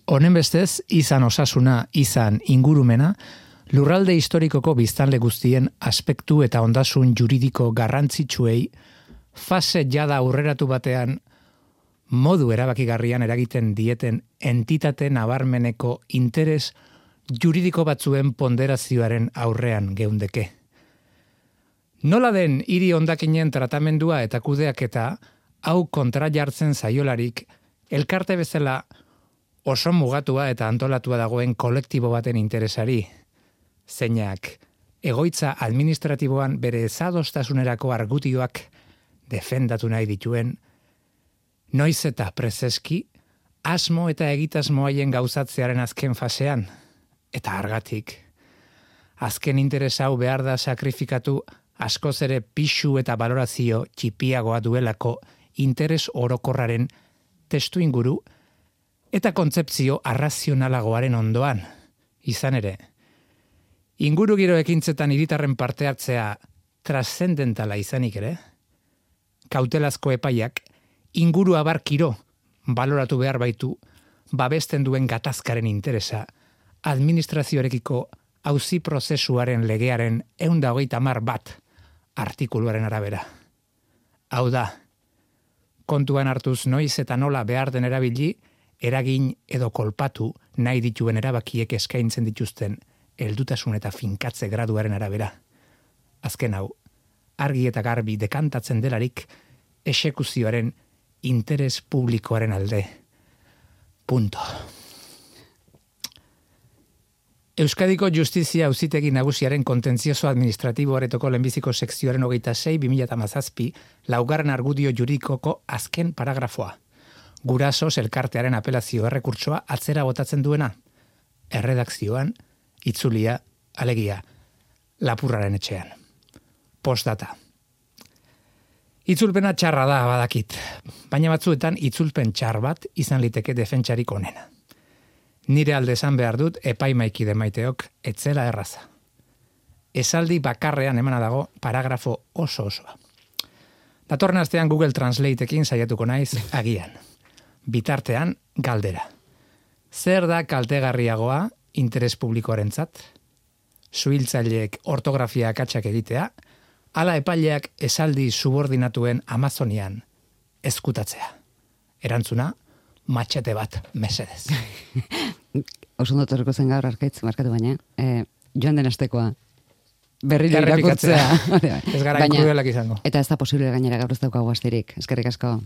Honen bestez, izan osasuna, izan ingurumena, lurralde historikoko biztanle guztien aspektu eta ondasun juridiko garrantzitsuei fase jada aurreratu batean modu erabakigarrian eragiten dieten entitate nabarmeneko interes juridiko batzuen ponderazioaren aurrean geundeke. Nola den hiri hondakinen tratamendua eta kudeaketa hau kontra jartzen zaiolarik elkarte bezala oso mugatua eta antolatua dagoen kolektibo baten interesari, zeinak egoitza administratiboan bere ezadostasunerako argudioak defendatu nahi dituen, noiz eta prezeski, asmo eta egitasmo haien gauzatzearen azken fasean, eta argatik. Azken interes hau behar da sakrifikatu askoz ere pixu eta balorazio txipiagoa duelako interes orokorraren testu inguru eta kontzepzio arrazionalagoaren ondoan. Izan ere, inguru giro ekintzetan hiritarren parte hartzea trascendentala izanik ere, kautelazko epaiak inguru abarkiro baloratu behar baitu babesten duen gatazkaren interesa administrazioarekiko auzi prozesuaren legearen 130 artikuluaren arabera. Hau da, kontuan hartuz noiz eta nola behar den erabili, eragin edo kolpatu nahi dituen erabakiek eskaintzen dituzten heldutasun eta finkatze graduaren arabera. Azken hau, argi eta garbi dekantatzen delarik exekuzioaren interes publikoaren alde. Punto. Euskadiko Justizia Auzitegi Nagusiaren kontentzioso administratibo aretoko lehenbiziko sekzioaren 26/2017 laugarren argudio juridikoko azken paragrafoa. Gurasos elkartearen apelazio errekurtsoa atzera botatzen duena. Erredakzioan, itzulia, alegia, Lapurraren etxean. Postdata. Itzulpena txarra da badakit, baina batzuetan itzulpen txar bat izan liteke defentsarik onena. Nire alde esan behar dut epaimaikide maiteok etzela erraza. Esaldi bakarrean emana dago paragrafo oso-osoa. Datorren astean Google Translateekin saiatuko naiz agian. Bitartean galdera. Zer da kaltegarriagoa interes publikoarentzat? Suhiltzaileek ortografia akatsak egitea, ala epaileak esaldi subordinatuen Amazonian ezkutatzea. Erantzuna, matxete bat mesedez. Oso ondo zen gaur arkaitz markatu baina, joan den astekoa berriro irakurtzea. Ez gara krudelak izango. Eta ez da posible gainera gaur ez daukagu asterik. Eskerrik asko.